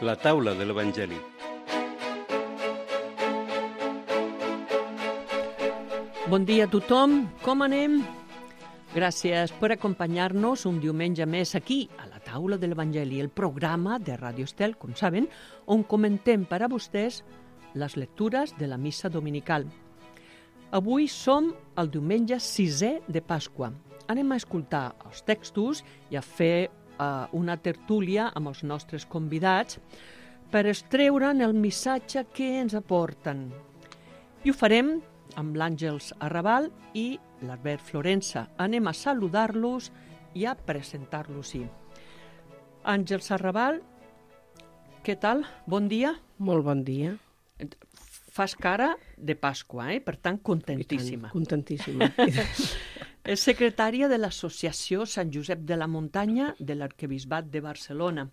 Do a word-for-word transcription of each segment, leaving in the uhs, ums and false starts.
La taula de l'Evangeli. Bon dia a tothom, com anem? Gràcies per acompanyar-nos un diumenge més aquí, a la taula de l'Evangeli, el programa de Ràdio Estel, com saben, on comentem per a vostès les lectures de la missa dominical. Avui som el diumenge sisè de Pasqua. Anem a escoltar els textos i a fer uh, una tertúlia amb els nostres convidats per extreure'n el missatge que ens aporten. I ho farem amb l'Àngels Arrabal i l'Albert Florença. Anem a saludar-los i a presentar-los-hi. Àngels Arrabal, què tal? Bon dia. Molt bon dia. Fas cara de Pasqua, eh? Per tant, contentíssima. Tant, contentíssima. És secretària de l'Associació Sant Josep de la Muntanya de l'Arquebisbat de Barcelona.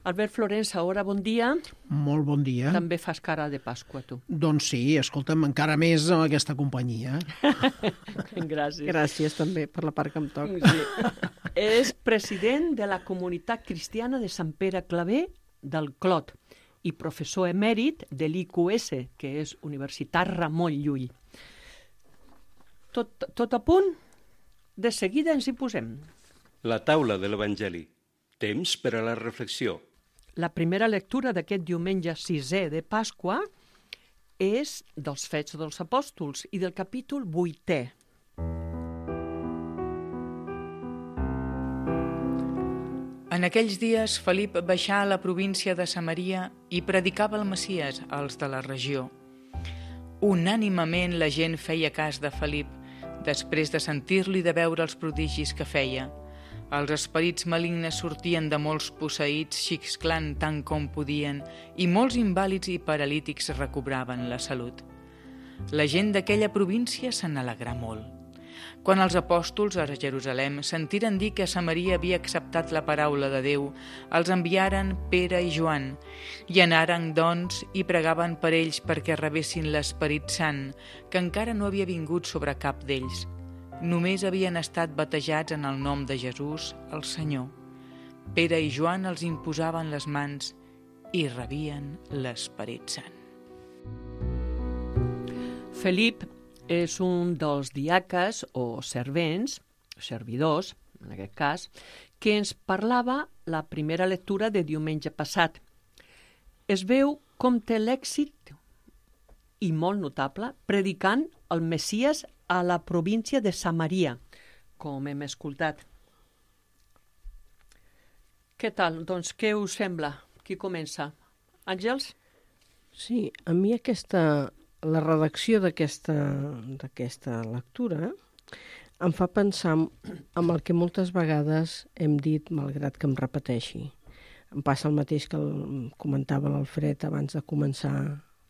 Albert Florença, ara bon dia. Molt bon dia. També fas cara de Pasqua, tu. Doncs sí, escolta'm, encara més amb aquesta companyia. Gràcies. Gràcies també per la part que em toca. Sí. És president de la Comunitat Cristiana de Sant Pere Claver del Clot i professor emèrit de l'I Q S, que és Universitat Ramon Llull. Tot, tot a punt? De seguida ens hi posem. La taula de l'Evangeli. Temps per a la reflexió. La primera lectura d'aquest diumenge sisè de Pasqua és dels Fets dels Apòstols i del capítol vuitè. En aquells dies, Felip baixà a la província de Samaria i predicava el Messies als de la regió. Unànimement la gent feia cas de Felip, després de sentir-lo i de veure els prodigis que feia. Els esperits malignes sortien de molts posseïts, xisclant tant com podien, i molts invàlids i paralítics recobraven la salut. La gent d'aquella província se n'alegrà molt. Quan els apòstols a Jerusalem sentiren dir que Samaria havia acceptat la paraula de Déu, els enviaren Pere i Joan, i anaren, doncs, i pregaven per ells perquè rebessin l'Esperit Sant, que encara no havia vingut sobre cap d'ells. Només havien estat batejats en el nom de Jesús, el Senyor. Pere i Joan els imposaven les mans i rebien l'Esperit Sant. Felip és un dels diaques o servents, servidors, en aquest cas, que ens parlava la primera lectura de diumenge passat. Es veu com té l'èxit, i molt notable, predicant el Messies a la província de Samaria, com hem escoltat. Què tal? Doncs què us sembla? Qui comença? Àngels? Sí, a mi aquesta, la redacció d'aquesta d'aquesta lectura em fa pensar en el que moltes vegades hem dit, malgrat que em repeteixi. Em passa el mateix que el, comentava l'Alfred abans de començar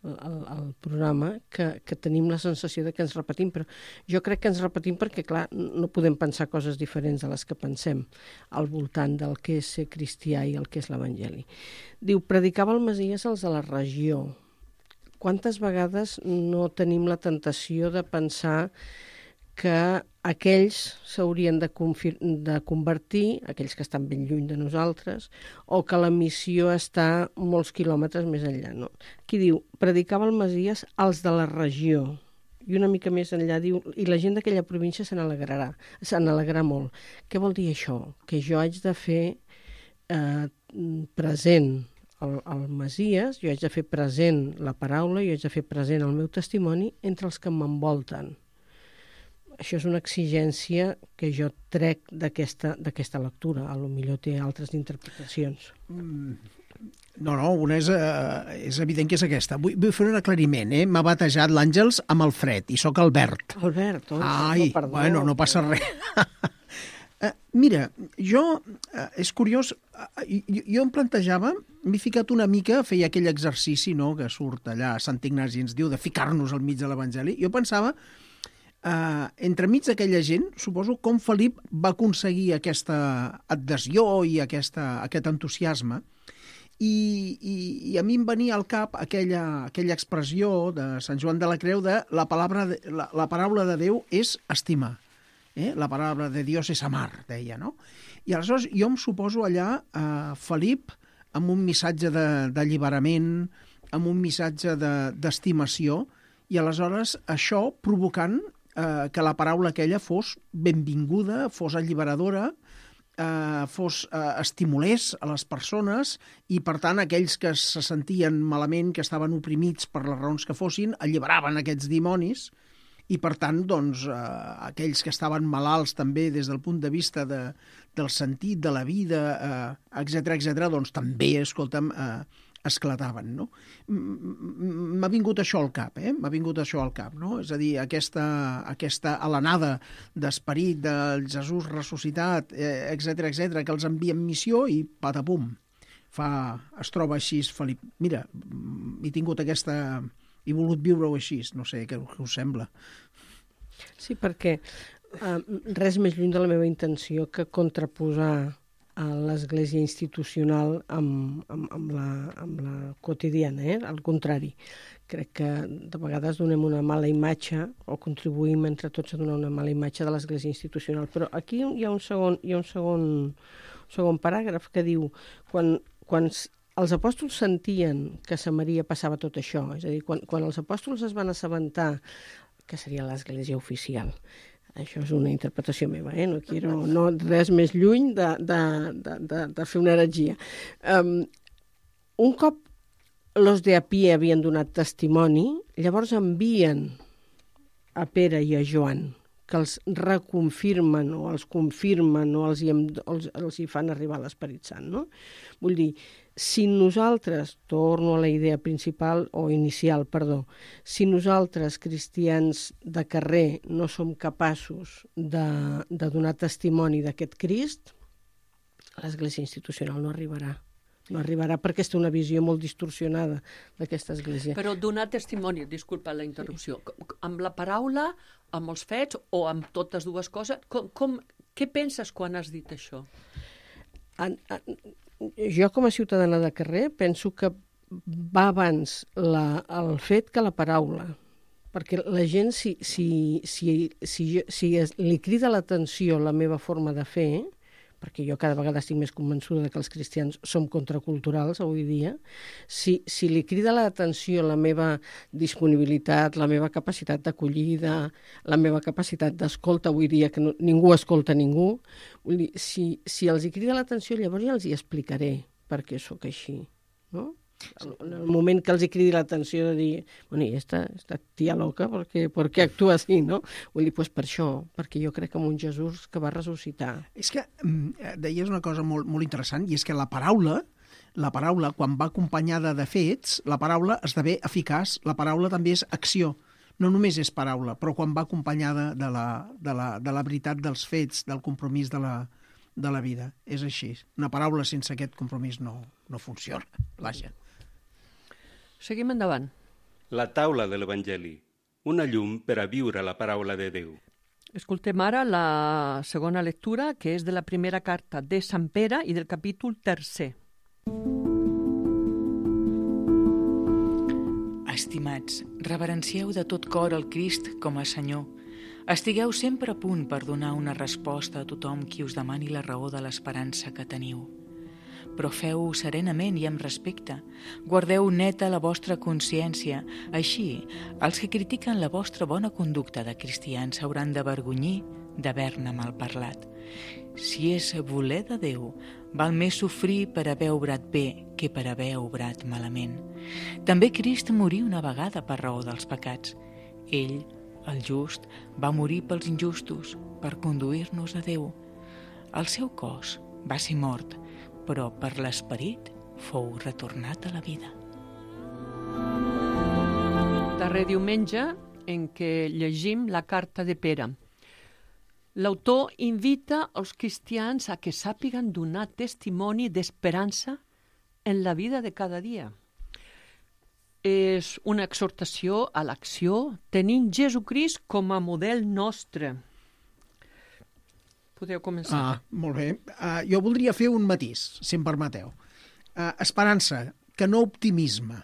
El, el programa, que, que tenim la sensació de que ens repetim, però jo crec que ens repetim perquè, clar, no podem pensar coses diferents de les que pensem al voltant del que és ser cristià i el que és l'Evangeli. Diu, predicava el Messies als de la regió. Quantes vegades no tenim la tentació de pensar que aquells s'haurien de, confir- de convertir, aquells que estan ben lluny de nosaltres, o que la missió està molts quilòmetres més enllà. No? Aquí diu, predicava el Messies als de la regió, i una mica més enllà diu, i la gent d'aquella província se n'alegrarà, se n'alegrarà molt. Què vol dir això? Que jo haig de fer eh, present el, el Messies, jo haig de fer present la paraula, jo haig de fer present el meu testimoni entre els que m'envolten. Això és una exigència que jo trec d'aquesta, d'aquesta lectura. A lo millor té altres interpretacions. Mm, no, no, una és, uh, és evident que és aquesta. Vull, vull fer un aclariment, eh? M'ha batejat l'Àngels amb el Fred, i sóc Albert. Albert, oh, Ai, no, perdó. Bueno, no passa res. uh, mira, jo, uh, és curiós, uh, jo, jo em plantejava, m'he ficat una mica, feia aquell exercici, no?, que surt allà, Sant Ignasi ens diu, de ficar-nos al mig de l'Evangeli. Jo pensava, Uh, entremig d'aquella gent, suposo, com Felip va aconseguir aquesta adhesió i aquesta, aquest entusiasme, i, i, i a mi em venia al cap aquella, aquella expressió de Sant Joan de la Creu de la, palabra de, la, la paraula de Déu és estimar. Eh? La paraula de Dios és amar, deia, no? I aleshores jo em suposo allà eh, Felip amb un missatge d'alliberament, amb un missatge d'estimació, i aleshores això provocant eh, que la paraula aquella fos benvinguda, fos alliberadora, eh, fos eh, estimulés a les persones, i per tant aquells que se sentien malament, que estaven oprimits per les raons que fossin, alliberaven aquests dimonis, i per tant doncs, eh, aquells que estaven malalts també des del punt de vista de, del sentit de la vida, eh, etcètera, etcètera, doncs també, escolta'm, eh, esclataven, no? M'ha vingut això al cap, eh? M'ha vingut això al cap, no? És a dir, aquesta, aquesta alenada d'esperit del Jesús ressuscitat, eh, etcètera, etcètera, que els envia en missió i patapum, fa, es troba així, Felip. Mira, he tingut aquesta... he volgut viure-ho així, no sé què, què us sembla. Sí, perquè eh, res més lluny de la meva intenció que contraposar a l'església institucional amb, amb, amb, la, amb la quotidiana, eh? Al contrari. Crec que de vegades donem una mala imatge o contribuïm entre tots a donar una mala imatge de l'església institucional. Però aquí hi ha un segon, hi ha un segon, un segon paràgraf que diu quan, quan els apòstols sentien que a Samaria passava tot això, és a dir, quan, quan els apòstols es van assabentar que seria l'església oficial. Això és una interpretació meva, eh? No quiero no, res més lluny de, de, de, de, de fer una heretgia. Um, un cop los de a pie havien donat testimoni, llavors envien a Pere i a Joan, que els reconfirmen o els confirmen o els hi, els, els hi fan arribar l'Esperit Sant, no? Vull dir, si nosaltres, torno a la idea principal o inicial, perdó, si nosaltres, cristians de carrer, no som capaços de, de donar testimoni d'aquest Crist, l'Església institucional no arribarà. No arribarà perquè té una visió molt distorsionada d'aquesta església. Però donar testimoni, disculpa la interrupció, amb la paraula, amb els fets o amb totes dues coses, com, com, què penses quan has dit això? En, en, jo com a ciutadana de carrer penso que va abans la, el fet que la paraula, perquè la gent si, si, si, si, si es, li crida l'atenció la meva forma de fer, perquè jo cada vegada estic més convençuda que els cristians som contraculturals avui dia, si, si li crida l'atenció la meva disponibilitat, la meva capacitat d'acollida, la meva capacitat d'escolta, avui dia que no, ningú escolta ningú, vull dir, si, si els hi crida l'atenció, llavors ja els hi explicaré per què sóc així, no? En el moment que els hi cridi l'atenció de dir, bueno, i esta, esta tia loca, per què, per què actua així, no? Vull dir, pues per això, perquè jo crec en un Jesús que va ressuscitar. És que deies una cosa molt, molt interessant, i és que la paraula, la paraula, quan va acompanyada de fets, la paraula esdevé eficaç, la paraula també és acció. No només és paraula, però quan va acompanyada de la, de la, de la veritat dels fets, del compromís de la, de la vida. És així. Una paraula sense aquest compromís no, no funciona. Vaja. Seguim endavant. La taula de l'Evangeli, una llum per a viure la paraula de Déu. Escoltem ara la segona lectura, que és de la primera carta de Sant Pere i del capítol tercer. Estimats, reverencieu de tot cor el Crist com a Senyor. Estigueu sempre a punt per donar una resposta a tothom qui us demani la raó de l'esperança que teniu. Però feu-ho serenament i amb respecte. Guardeu neta la vostra consciència. Així, els que critiquen la vostra bona conducta de cristians s'hauran d'avergonyir d'haver-ne malparlat. Si és voler de Déu, val més sofrir per haver obrat bé que per haver obrat malament. També Crist morí una vegada per raó dels pecats. Ell, el just, va morir pels injustos per conduir-nos a Déu. El seu cos va ser mort, però per l'esperit fou retornat a la vida. Darrer diumenge en què llegim la carta de Pere. L'autor invita els cristians a que sàpiguen donar testimoni d'esperança en la vida de cada dia. És una exhortació a l'acció tenint Jesucrist com a model nostre. Podeu començar. Ah, molt bé. Uh, jo voldria fer un matís, si em permeteu. Uh, esperança, que no optimisme.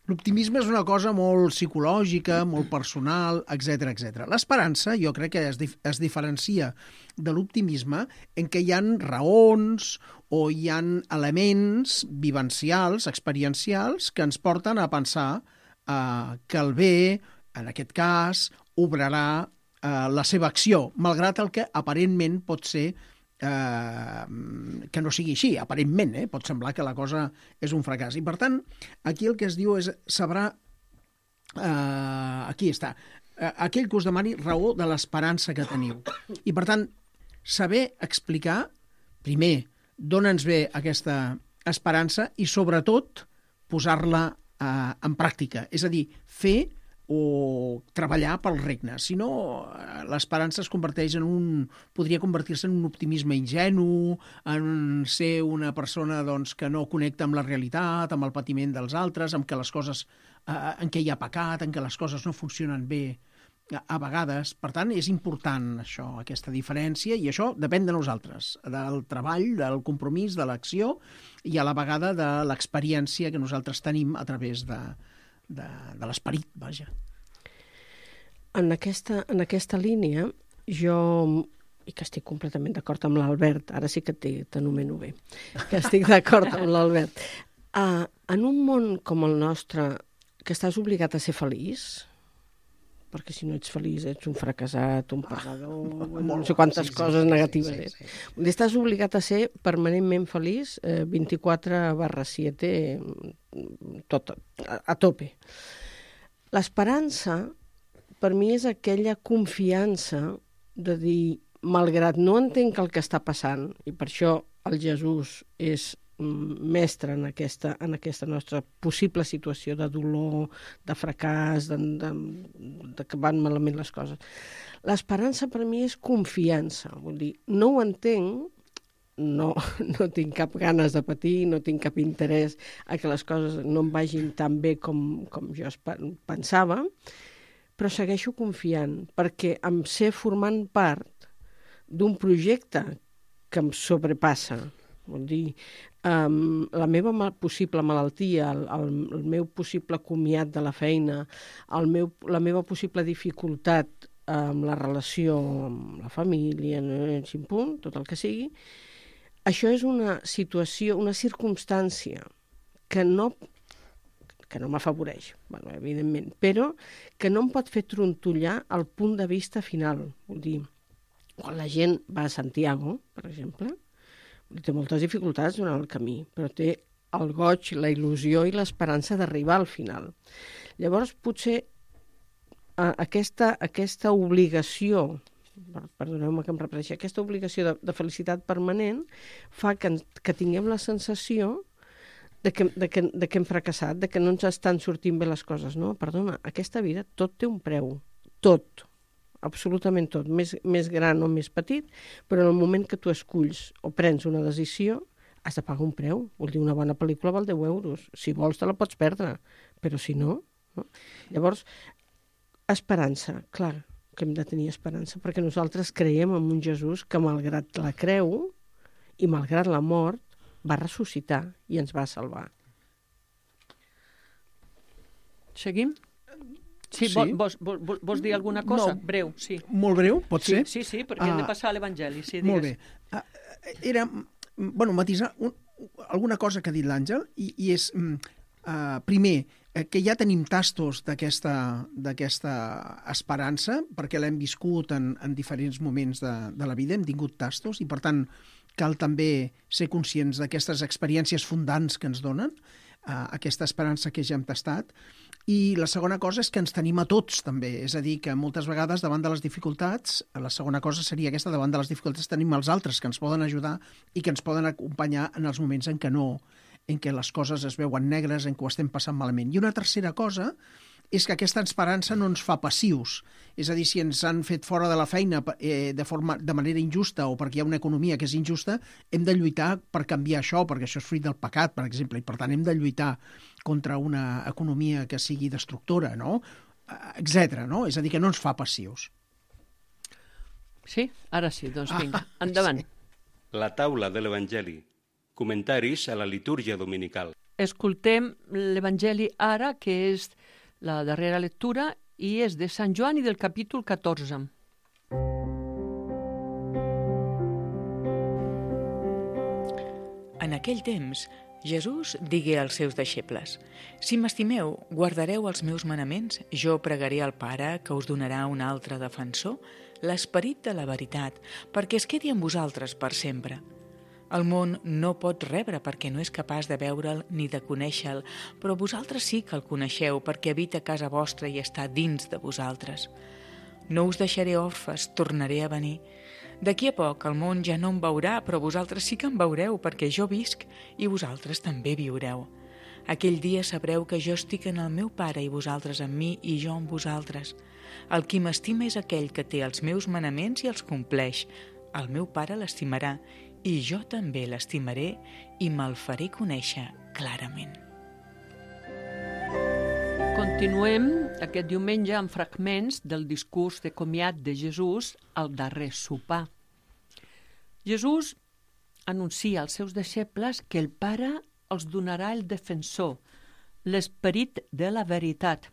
L'optimisme és una cosa molt psicològica, molt personal, etcètera, etcètera. L'esperança jo crec que es, dif es diferencia de l'optimisme en què hi ha raons o hi ha elements vivencials, experiencials, que ens porten a pensar eh, que el bé, en aquest cas, obrarà eh, la seva acció, malgrat el que aparentment pot ser Eh, que no sigui així, aparentment, eh? Pot semblar que la cosa és un fracàs. I per tant, aquí el que es diu és sabrà, eh, aquí està, eh, aquell que us demani raó de l'esperança que teniu. I per tant, saber explicar, primer, d'on ens ve aquesta esperança i sobretot posar-la eh, en pràctica, és a dir, fer o treballar pel regne. Si no, l'esperança es converteix en un... podria convertir-se en un optimisme ingenu, en ser una persona doncs, que no connecta amb la realitat, amb el patiment dels altres, amb que les coses, eh, en què hi ha pecat, en què les coses no funcionen bé a vegades. Per tant, és important això, aquesta diferència, i això depèn de nosaltres, del treball, del compromís, de l'acció, i a la vegada de l'experiència que nosaltres tenim a través de de, de l'esperit, vaja. En aquesta, en aquesta línia, jo, i que estic completament d'acord amb l'Albert, ara sí que t'anomeno bé, que estic d'acord amb l'Albert, uh, en un món com el nostre, que estàs obligat a ser feliç, perquè si no ets feliç ets un fracassat, un perdedor, ah, no sé quantes sí, coses sí, negatives sí, sí, sí. és. Estàs obligat a ser permanentment feliç, eh, vint-i-quatre barra set, tot, a, a tope. L'esperança, per mi, és aquella confiança de dir, malgrat no entenc el que està passant, i per això el Jesús és mestre en aquesta, en aquesta nostra possible situació de dolor, de fracàs, de, de, de que van malament les coses. L'esperança per mi és confiança. Vull dir, no ho entenc, no, no tinc cap ganes de patir, no tinc cap interès a que les coses no em vagin tan bé com, com jo pensava, però segueixo confiant, perquè em sé formant part d'un projecte que em sobrepassa. Vol dir, um, la meva mal, possible malaltia, el, el, el meu possible comiat de la feina, el meu, la meva possible dificultat amb la relació amb la família, en punt, tot el que sigui, això és una situació, una circumstància que no, que no m'afavoreix, bueno, evidentment, però que no em pot fer trontollar el punt de vista final. Vol dir, quan la gent va a Santiago, per exemple, té moltes dificultats durant el camí, però té el goig, la il·lusió i l'esperança d'arribar al final. Llavors, potser eh, aquesta, aquesta obligació, perdoneu-me que em repeteixi, aquesta obligació de, de felicitat permanent fa que, que tinguem la sensació de que, de, que, de que hem fracassat, de que no ens estan sortint bé les coses. No, perdona, aquesta vida tot té un preu, tot. Absolutament tot, més, més gran o més petit, però en el moment que tu esculls o prens una decisió, has de pagar un preu. Vol dir, una bona pel·lícula val deu euros. Si vols te la pots perdre, però si no... no? Llavors, esperança, clar que hem de tenir esperança, perquè nosaltres creiem en un Jesús que malgrat la creu i malgrat la mort va ressuscitar i ens va salvar. Seguim? Sí, sí. Vols, vols, vols dir alguna cosa? No. Breu, sí. Molt breu, pot sí, ser? Sí, sí, perquè uh, hem de passar a l'Evangeli. Sí, molt bé. Uh, era, bueno, matisar un, alguna cosa que ha dit l'Àngel, i, i és, uh, primer, que ja tenim tastos d'aquesta esperança, perquè l'hem viscut en, en diferents moments de, de la vida, hem tingut tastos, i per tant cal també ser conscients d'aquestes experiències fundants que ens donen, uh, aquesta esperança que ja hem tastat. I la segona cosa és que ens tenim a tots, també. És a dir, que moltes vegades, davant de les dificultats, la segona cosa seria aquesta, davant de les dificultats tenim els altres que ens poden ajudar i que ens poden acompanyar en els moments en què no, en què les coses es veuen negres, en què ho estem passant malament. I una tercera cosa és que aquesta esperança no ens fa passius. És a dir, si ens han fet fora de la feina eh, de, forma, de manera injusta o perquè hi ha una economia que és injusta, hem de lluitar per canviar això, perquè això és fruit del pecat, per exemple, i per tant hem de lluitar contra una economia que sigui destructora, no? Etcètera, no? És a dir, que no ens fa passius. Sí? Ara sí, doncs vinga, endavant. La taula de l'Evangeli. Comentaris a la litúrgia dominical. escoltem l'Evangeli ara, que és la darrera lectura, i és de Sant Joan i del capítol catorze. En aquell temps, Jesús digué als seus deixebles: «Si m'estimeu, guardareu els meus manaments, jo pregaré al Pare que us donarà un altre defensor, l'Esperit de la veritat, perquè es quedi amb vosaltres per sempre. El món no pot rebre perquè no és capaç de veure'l ni de conèixer-lo, però vosaltres sí que el coneixeu perquè habita a casa vostra i està dins de vosaltres. No us deixaré orfes, tornaré a venir. D'aquí a poc el món ja no em veurà, però vosaltres sí que em veureu perquè jo visc i vosaltres també viureu. Aquell dia sabreu que jo estic en el meu Pare i vosaltres en mi i jo en vosaltres. El qui m'estima és aquell que té els meus manaments i els compleix. El meu Pare l'estimarà i jo també l'estimaré i me'l faré conèixer clarament». Continuem aquest diumenge amb fragments del discurs de comiat de Jesús al darrer sopar. Jesús anuncia als seus deixebles que el Pare els donarà el defensor, l'Esperit de la veritat,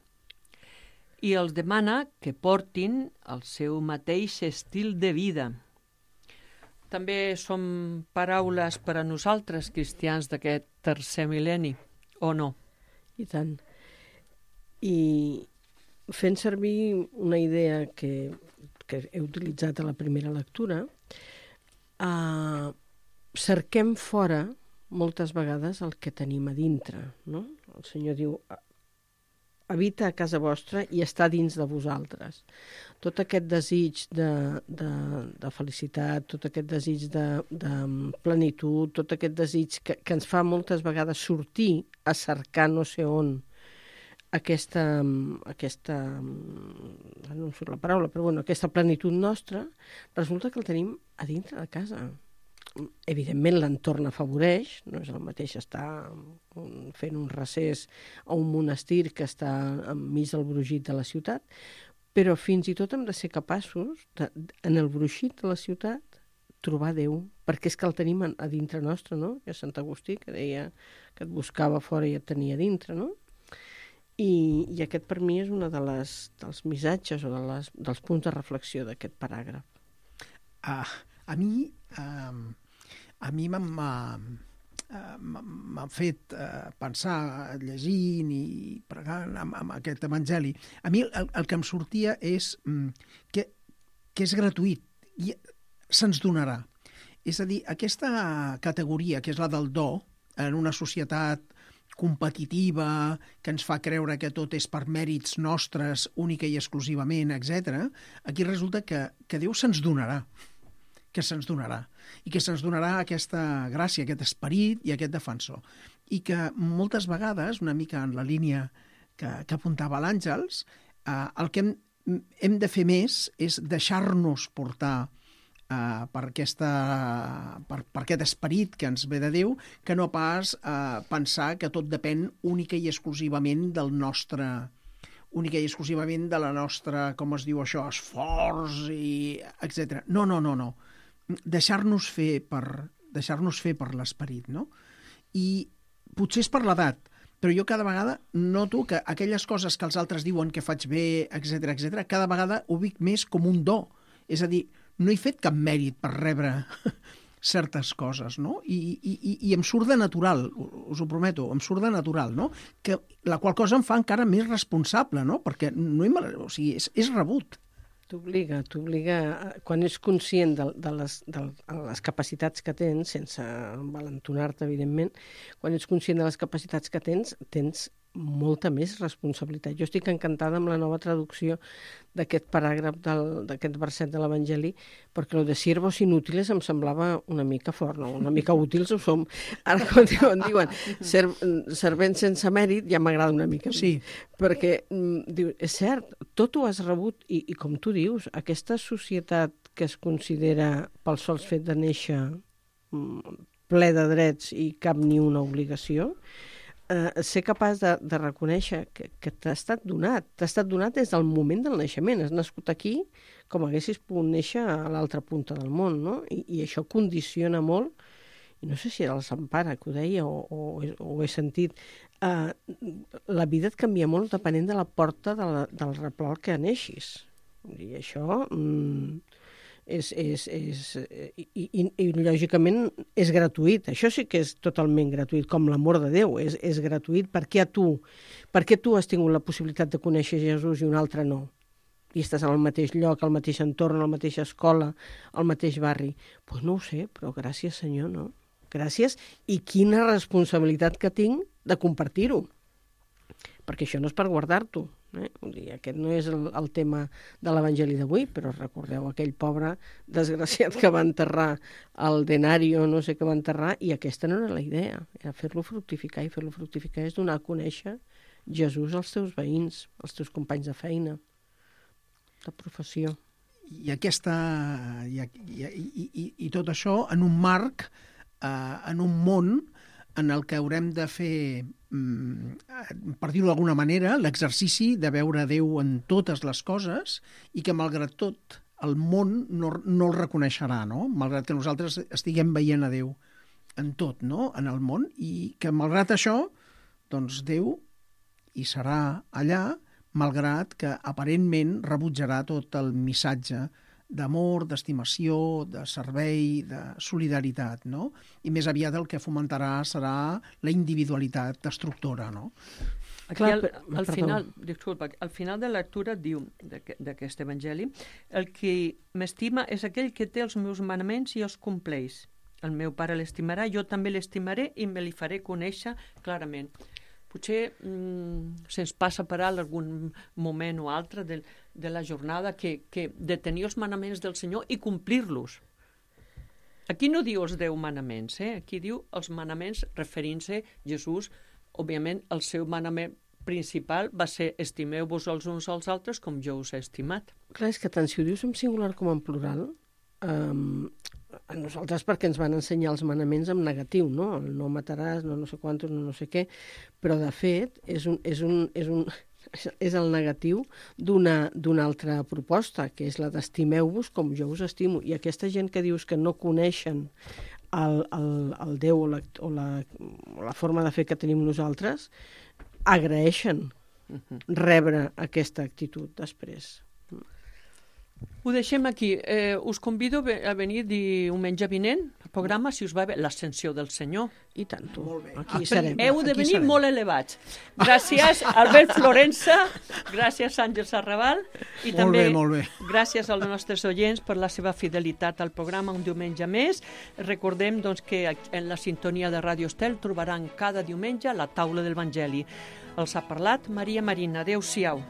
i els demana que portin el seu mateix estil de vida. També són paraules per a nosaltres, cristians d'aquest tercer mil·lenni, o no? I tant. I fent servir una idea que, que he utilitzat a la primera lectura, eh, cerquem fora moltes vegades el que tenim a dintre, no? El Senyor diu: habita a casa vostra i està dins de vosaltres. Tot aquest desig de, de, de felicitat, tot aquest desig de, de plenitud, tot aquest desig que, que ens fa moltes vegades sortir a cercar no sé on aquesta, aquesta no em surt la paraula, però bueno, aquesta plenitud nostra, resulta que el tenim a dintre de casa. Evidentment l'entorn afavoreix, no és el mateix estar fent un recés a un monestir que està enmig del brogit de la ciutat, però fins i tot hem de ser capaços, de, en el brogit de la ciutat, trobar Déu, perquè és que el tenim a dintre nostre, no? Hi ha Sant Agustí que deia que et buscava fora i et tenia dintre, no? I, i aquest per mi és un de les, dels missatges o de les, dels punts de reflexió d'aquest paràgraf. Uh, a mi uh, a mi m'ha m'ha fet uh, pensar llegint i pregant amb, amb aquest evangeli. A mi el, el que em sortia és um, que, que és gratuït i se'ns donarà. És a dir, aquesta categoria que és la del do en una societat competitiva, que ens fa creure que tot és per mèrits nostres, única i exclusivament, etcètera, aquí resulta que, que Déu se'ns donarà, que se'ns donarà, i que se'ns donarà aquesta gràcia, aquest esperit i aquest defensor. I que moltes vegades, una mica en la línia que, que apuntava l'Àngels, eh, el que hem, hem de fer més és deixar-nos portar Uh, per, aquesta, per, per aquest esperit que ens ve de Déu, que no pas uh, pensar que tot depèn única i exclusivament del nostre única i exclusivament de la nostra, com es diu això, esforç i etcètera. No, no, no, no. Deixar-nos fer per deixar-nos fer per l'esperit, no? I potser és per l'edat, però jo cada vegada noto que aquelles coses que els altres diuen que faig bé, etcètera, etcètera, cada vegada ho vic més com un do. És a dir, no he fet cap mèrit per rebre certes coses, no? I, i, i em surt de natural, us ho prometo, em surt de natural, no? Que, la qual cosa em fa encara més responsable, no? Perquè no he, o sigui, és, és rebut. T'obliga, t'obliga, quan ets conscient de, de, les, de les capacitats que tens, sense valentonar-te, evidentment, quan ets conscient de les capacitats que tens, tens molta més responsabilitat. Jo estic encantada amb la nova traducció d'aquest paràgraf, d'aquest verset de l'Evangeli, perquè lo de siervos inútiles em semblava una mica fort, no? Una mica útils ho som. Ara, quan diuen, diuen ser, servents sense mèrit, ja m'agrada una mica. Sí. Perquè, diu, és cert, tot ho has rebut, i, i com tu dius, aquesta societat que es considera pel sols fet de néixer ple de drets i cap ni una obligació, Eh, ser capaç de, de reconèixer que, que t'ha estat donat, t'ha estat donat des del moment del naixement. Has nascut aquí com haguessis pogut néixer a l'altra punta del món, no? I, i això condiciona molt i no sé si era el Sant Pare que ho deia o, o, o ho he sentit, uh, la vida et canvia molt depenent de la porta de la, del replà al que neixis. I això mm, és, és, és, i, i, i lògicament és gratuït. Això sí que és totalment gratuït, com l'amor de Déu, és, és gratuït. Per què a tu? Per què tu has tingut la possibilitat de conèixer Jesús i un altre no? I estàs al mateix lloc, al mateix entorn, a la mateixa escola, al mateix barri. Doncs pues no ho sé, però gràcies, Senyor, no? Gràcies, i quina responsabilitat que tinc de compartir-ho. Perquè això no és per guardar-t'ho. Eh? Aquest no és el, el tema de l'Evangeli d'avui, però recordeu aquell pobre desgraciat que va enterrar el denario, no sé què va enterrar, i aquesta no era la idea, era fer-lo fructificar, i fer-lo fructificar és donar a conèixer Jesús als teus veïns, als teus companys de feina, de professió. I, aquesta, i, i, i, i, i tot això en un marc, eh, en un món en el que haurem de fer, per dir-ho d'alguna manera, l'exercici de veure Déu en totes les coses i que, malgrat tot, el món no, no el reconeixerà, no? Malgrat que nosaltres estiguem veient a Déu en tot, no? En el món, i que, malgrat això, doncs Déu hi serà allà, malgrat que aparentment rebutjarà tot el missatge d'amor, d'estimació, de servei, de solidaritat, no? I més aviat el que fomentarà serà la individualitat destructora, no? Aquí al, al final, disculpa, al final de la lectura diu d'aquest evangeli, el que m'estima és aquell que té els meus manaments i els compleix. El meu pare l'estimarà, jo també l'estimaré i me li faré conèixer clarament. Potser mm, se'ns passa per alt algun moment o altre de, de la jornada que, que de tenir els manaments del Senyor i complir-los. Aquí no diu els deu manaments, eh? Aquí diu els manaments referint-se a Jesús. Òbviament, el seu manament principal va ser estimeu-vos els uns als altres com jo us he estimat. Clar, és que tant si ho dius en singular com en plural, um, a nosaltres perquè ens van ensenyar els manaments en negatiu, no? El no mataràs, no no sé quantos, no no sé què, però de fet és, un, és, un, és, un, és el negatiu d'una d'una altra proposta, que és la d'estimeu-vos com jo us estimo. I aquesta gent que dius que no coneixen el, el, el Déu o la, o, la, o la forma de fer que tenim nosaltres, agraeixen rebre aquesta actitud després. Ho deixem aquí. Eh, us convido a venir diumenge vinent al programa, si us va bé, l'Ascensió del Senyor. I tant, tu. Molt bé. Aquí serem. Heu de Aquí venir serem. molt elevats. Gràcies, Albert Florença, gràcies, Àngel Sarraval, i Molt també bé, molt bé. gràcies als nostres oients per la seva fidelitat al programa un diumenge més. Recordem doncs, que en la sintonia de Ràdio Estel trobaran cada diumenge la taula de l'Evangeli. Els ha parlat Maria Marina. Adéu-siau.